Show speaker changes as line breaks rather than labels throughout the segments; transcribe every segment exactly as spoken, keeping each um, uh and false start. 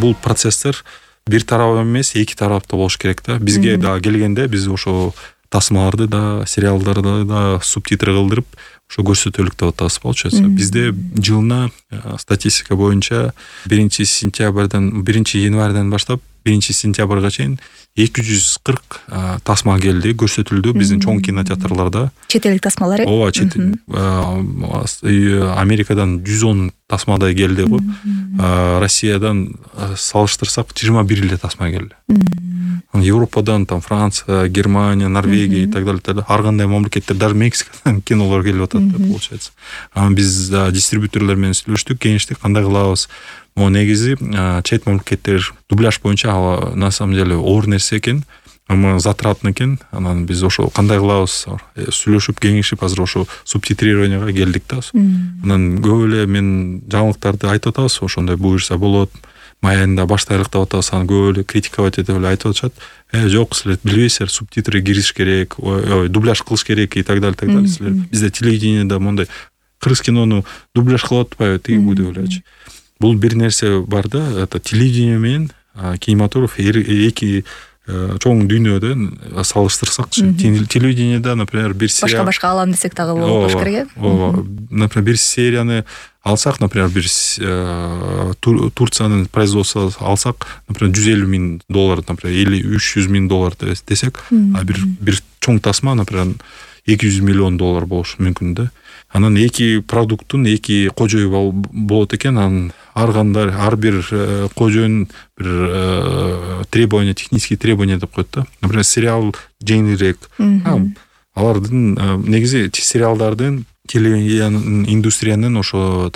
бул процесстер бир тарап эмес, эки тараптуу болуш керек да. Бизге да келгенде биз ошо тасмаларды да, сериалдарды да субтитр кылдырып ошо көрсөтөлүк деп атабыз, получается. Бизде жылына статистика боюнча биринчи сентябрдан, биринчи январдан баштап биринчи сентябрга чейин эки жүз кырк тасма келди, көрсөтүлдү биздин чоң кинотеатрларда.
Чет элдик тасмалар?
Ооба, чет Америкадан жүз он тасмадай келди го. Россиядан салыштырсак жыйырма бир эле тасма келди. Европадан там Франция, Германия, Норвегия и так далее. Ар кандай мамлекеттер, даже Мексикадан кинолор келип атат, получается. Анан биз дистрибьюторлор менен сүйлөштүк, кеңештик, кандай кылабыз. О негизи чет мамлекеттер дубляж боюнча на самом деле оор нерсе экен, ама затратный экен. Анан биз ошо кандай кылабыз сүйлөшүп, кеңешип азыр ошо субтитрированияга келдик да. Анан көп эле мен жаңылыктарды айтып атабыз, ошондой буюрса болот. Май айында баштайлык деп атабыз, аны көп эле критиковать этип эле айтып атышат. Э, жок, силер билбейсиздер, субтитры кириш керек, ой, дубляж кылыш керек и так далее, так далее. Силер бизде телевидениеда мондай кыргыз кинону дубляж кылып атпайбы, тиги бу деп элечи. Бул бир нерсе бар да, это телевидение менен кинематограф эки чоң дүйнөдөн салыштырсакчы. Телевидениеда, например, бир серия
башка-башка алам десек дагы болуш керек.
Ооба. Например, бир серияны алсак, например, бир Турциянын производствосу алсак, например, жүз элүү миң доллар, например, или үч жүз миң доллар десек, а бир бир чоң тасма, например, эки жүз миллион доллар болушу мүмкүн да. Анан эки продукттун эки кожою болот экен, анан ар кандай ар бир кожонун бир требования, технический требования деп коет да. Например, сериал жеңилирээк. Алардын негизи сериалдардын телевидениянын индустриянын ошо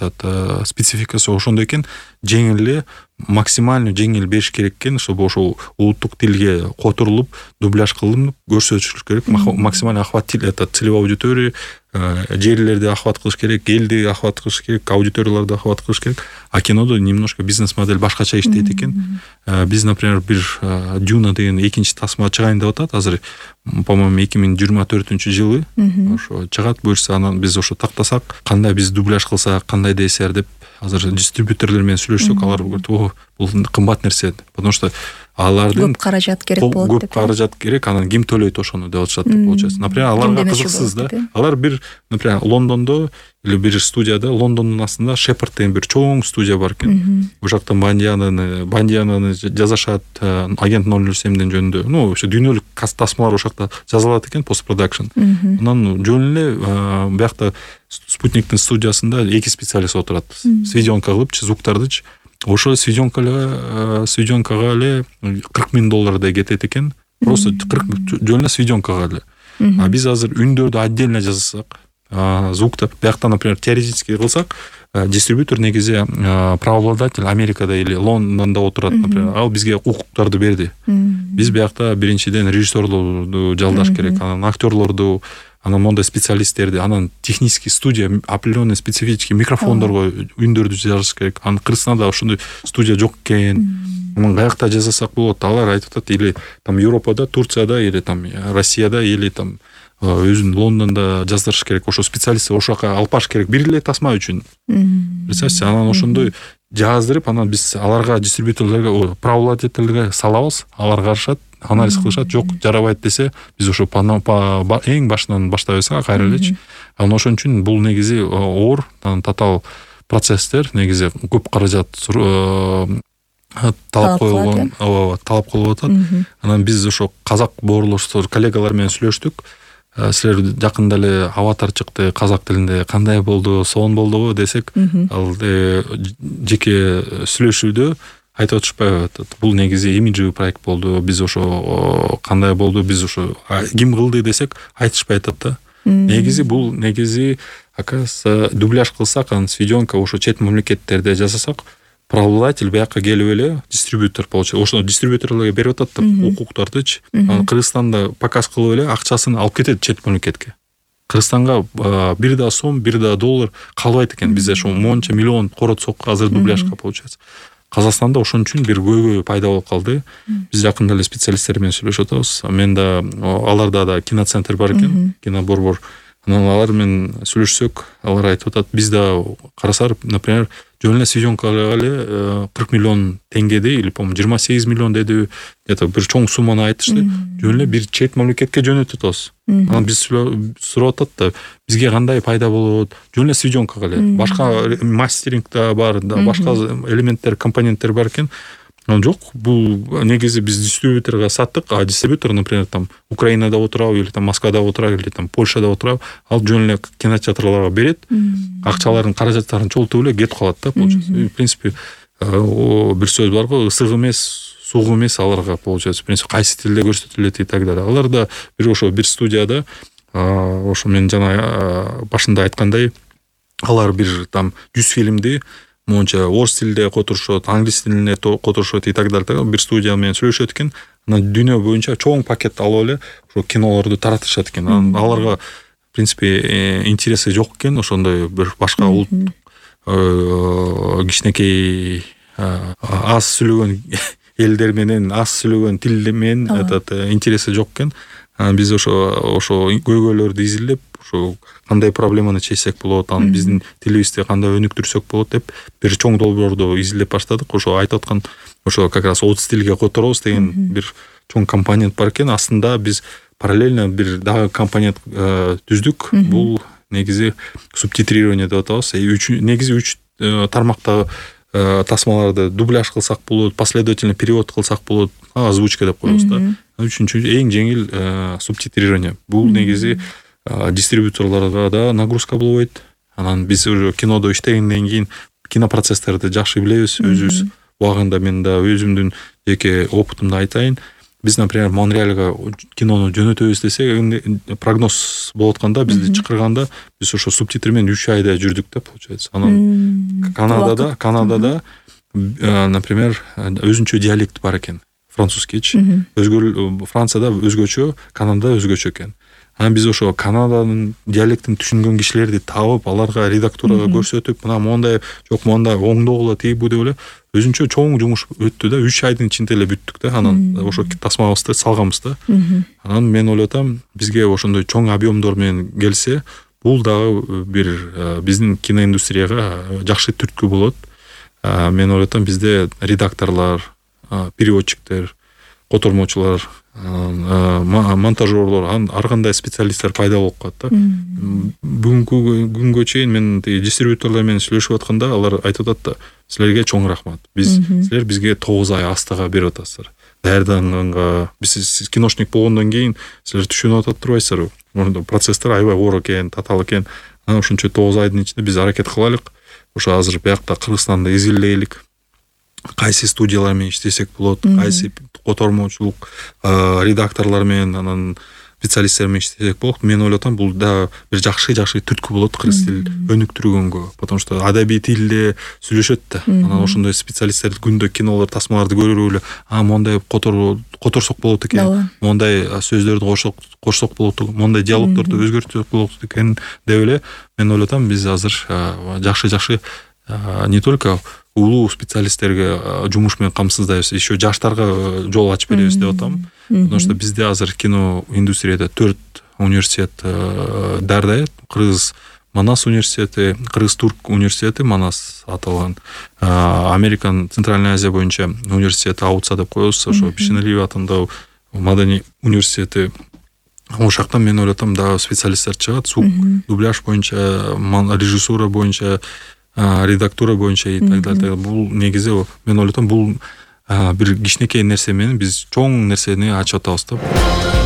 спецификасы ошондой экен, жеңил эле, максимально жеңил бериш керек экен, чтобы ошо улуттук тилге которулуп, дубляж кылынып көрсөтүлүш керек, максимально охват целевой аудитория, жерлерди охват кылыш керек, элди охват кылыш керек, аудиторияларды охват кылыш керек. А кинодо немножко бизнес модель башкача иштейт экен. Биз, например, бир Дюна деген экинчи тасма чыгайын деп атат азыр, по-моему, эки миң жыйырма төртүнчү жылы ошо чыгат, буюрса анан биз ошо тактасак, кандай биз дубляж кылсак, кандай десер деп азыр дистрибьюторлор менен сүйлөштүк, алар бул кымбат нерсе, потому что алардын
көп каражат керек болот деп.
Көп каражат керек, анан ким төлөйт ошону деп атышат, получается. Например, аларга кызыксыз да. Алар бир, например, Лондондо или бир студияда, Лондондун астында Шепард деген бир чоң студия бар экен. Бул жакта Бандиананы, Бандиананы жазышат, агент ноль ноль семдин жөнүндө. Ну, ошо дүйнөлүк тасмалар ошо жакта жазылат экен, постпродакшн. Анан жөн эле биякта Спутниктин студиясында эки специалист отурат. Сведёнка кылыпчы, звуктардычы. Ошо сведёнкага, сведёнкага эле кырк миң доллардай кетет экен. Просто кырк жөн эле сведёнкага эле. А биз азыр үндөрдү отдельно жазсак, звуктар, биякта, например, теоретически кылсак, дистрибьютор негизи правообладатель Америкада или Лондондо отурат, например, ал бизге укуктарды берди. Биз биякта биринчиден режиссерлорду жалдаш керек, анан актерлорду, анан мондай специалисттерди, анан технический студия, определенный специфический микрофондорго үндөрдү жазыш керек. Анан Кыргызстанда ошондой студия жок экен. Анан каякта жазасак болот? Алар айтып атат, или там Европада, Турцияда, или там Россияда, или там өзүн Лондондо жаздырыш керек. Ошо специалист ошо жака алып баш керек бир эле тасма үчүн. Представьте, анан ошондой жаздырып, анан биз аларга, дистрибьюторлорго, правообладательге салабыз, алар карашат, анализ кылышат, жок, жарабайт десе, биз ошо эң башынан баштайбыз кайра элечи. Анан ошон үчүн бул негизи оор, татаал процесстер, негизи көп каражат талап коюлган, талап кылып атат. Анан биз ошо казак боорлоштор, коллегалар менен сүйлөштүк. Силер жакында эле аватар чыкты казак тилинде, кандай болду, сонун болдубу десек, ал жеке сүйлөшүүдө айтып атышпайбы, бул негизи имиджевый проект болду, биз ошо кандай болду, биз ошо ким кылды десек, айтышпай атат да. Негизи бул негизи, оказывается, дубляж кылсак, анан сведёнка ошо чет мамлекеттерде жасасак, правообладатель бияка келип эле дистрибьютор получается. Ошо дистрибьюторлорго берип атат укуктардычы. Кыргызстанда показ кылып эле акчасын алып кетет чет мамлекетке. Кыргызстанга бир да сом, бир да доллар калбайт экен. Бизде ошо монча миллион коротсок азыр дубляжга получается. Казакстанда ошон үчүн бир көйгөй пайда болуп калды. Биз жакында эле специалисттер менен сүйлөшүп атабыз. Мен да, аларда да киноцентр бар экен, киноборбор. анан алар менен сүйлөшсөк, алар айтып атат, биз да карасар, например, жөн эле съемкага эле кырк миллион теңгеди, или по-моему жыйырма сегиз миллион деди, это бир чоң сумманы айтышты. Жөн эле бир чет мамлекетке жөнөтүп атабыз. Анан биз сурап атат да, бизге кандай пайда болот? Жөн эле съемкага эле. Башка мастеринг да бар, башка элементтер, компоненттер бар экен. Жок, бул негизи биз дистрибьюторго саттык, а дистрибьютор, например, там Украинада отурабы, или там Москвада отурабы, или там Польшада отурабы, ал жөн эле кинотеатрларга берет, акчаларын, каражаттарын чогултуп эле кетип калат да, получается. В принципе, бир сөз бар го, ысык эмес, суук эмес аларга, получается, в принципе, кайсы тилде көрсөтүлөт и так далее. Алар да бир ошо бир студияда, ошо мен жана башында айткандай, алар бир там жүз фильмди монча орус тилинде которушот, англис тилинде которушот и так далее. Бир студия менен сүйлөшөт экен. Анан дүйнө боюнча чоң пакет алып эле ошо кинолорду таратышат экен. Анан аларга в принципе интереси жок экен, ошондой бир башка улут кичинекей аз сүйлөгөн элдер менен, аз сүйлөгөн тил менен этот интереси жок экен. Биз ошо ошо көйгөйлөрдү изилдеп, ошо кандай проблеманы чечсек болот, анан биздин тилибизди кандай өнүктүрсөк болот деп бир чоң долбоорду изилдеп баштадык. Ошо айтып аткан, ошо как раз отуз тилге которобуз деген бир чоң компонент бар экен. Астында биз параллельно бир дагы компонент түздүк. Бул негизи субтитрирование деп атабыз. Негизи үч тармактагы тасмаларды дубляж кылсак болот, последовательно перевод кылсак болот, озвучка деп коебуз да. Үчүнчү эң жеңил субтитрирование. Бул негизи дистрибьюторлорго да нагрузка болбойт. Анан биз уже кинодо иштегенден кийин кинопроцесстерди жакшы билебиз, өзүбүз убагында мен да өзүмдүн жеке опытымды айтайын. Биз, например, Монреалга кинону жөнөтөбүз десек, прогноз болуп атканда, бизди чакырганда, биз ошо субтитр менен үч айда жүрдүк да, получается. Анан Канадада, Канадада, например, өзүнчө диалект бар экен. Французскийчи. Өзгө Францияда өзгөчө, Канадада өзгөчө экен. Анан биз ошо Канаданын диалектин түшүнгөн кишилерди табып, аларга редактурага көрсөтүп, мына мондай, жок мондай оңдогула тийбу деп эле өзүнчө чоң жумуш өттү да, үч айдын ичинде эле бүттүк да. Анан ошо тасмабызды салганбыз да. Анан мен ойлотам, бизге ошондой чоң объемдор менен келсе, бул дагы бир биздин киноиндустрияга жакшы түрткү болот. Мен ойлотам, бизде редакторлор, переводчиктер, котормочулар, монтажерлор, ар кандай специалисттер пайда болуп калат да. Бүгүнкү күнгө чейин мен дистрибьюторлор менен сүйлөшүп атканда, алар айтып атат да, силерге чоң рахмат. Биз силер бизге тогуз ай астыга берип атасыздар. Даярданганга, биз киношник болгондон кийин силер түшүнүп атат турбайсыздарбы? Процесстер аябай оор экен, татаал экен. Анан ошончо тогуз айдын ичинде биз аракет кылайлык. Ошо азыр биякта Кыргызстанды изилдейлик. Кайсы студиялар менен иштесек болот, кайсы котормочулук редакторлор менен, анан специалисттер менен иштесек болот. Мен ойлотам, бул да бир жакшы-жакшы түрткү болот кыргыз тилин өнүктүргөнгө. Потому что адабий тилде сүйлөшөт да. Анан ошондой специалисттер күндө кинолор, тасмаларды көрүп эле, а мондай котор которсок болот экен, мондай сөздөрдү кошсок, кошсок болот, мондай диалогдорду өзгөртсөк болот экен деп эле мен ойлотам, биз азыр жакшы-жакшы не только улуу специалисттерге жумуш менен камсыздайбыз, еще жаштарга жол ачып беребиз деп атам. Потому что бизде азыр кино индустрияда төрт университет дардай. Кыргыз Манас университети, Кыргыз Турк университети, Манас аталган, Американ Центральная Азия боюнча университети Аутса деп коебуз, ошо Бишеналиев атындагы Маданий университети. Ошол жактан мен ойлотам, да специалисттер чыгат, звук, дубляж боюнча, режиссура боюнча, редактура боюнча и так далее. Бул негизи мен ойлотом, бул бир кичинекей нерсе менен биз чоң нерсени ачып атабыз да.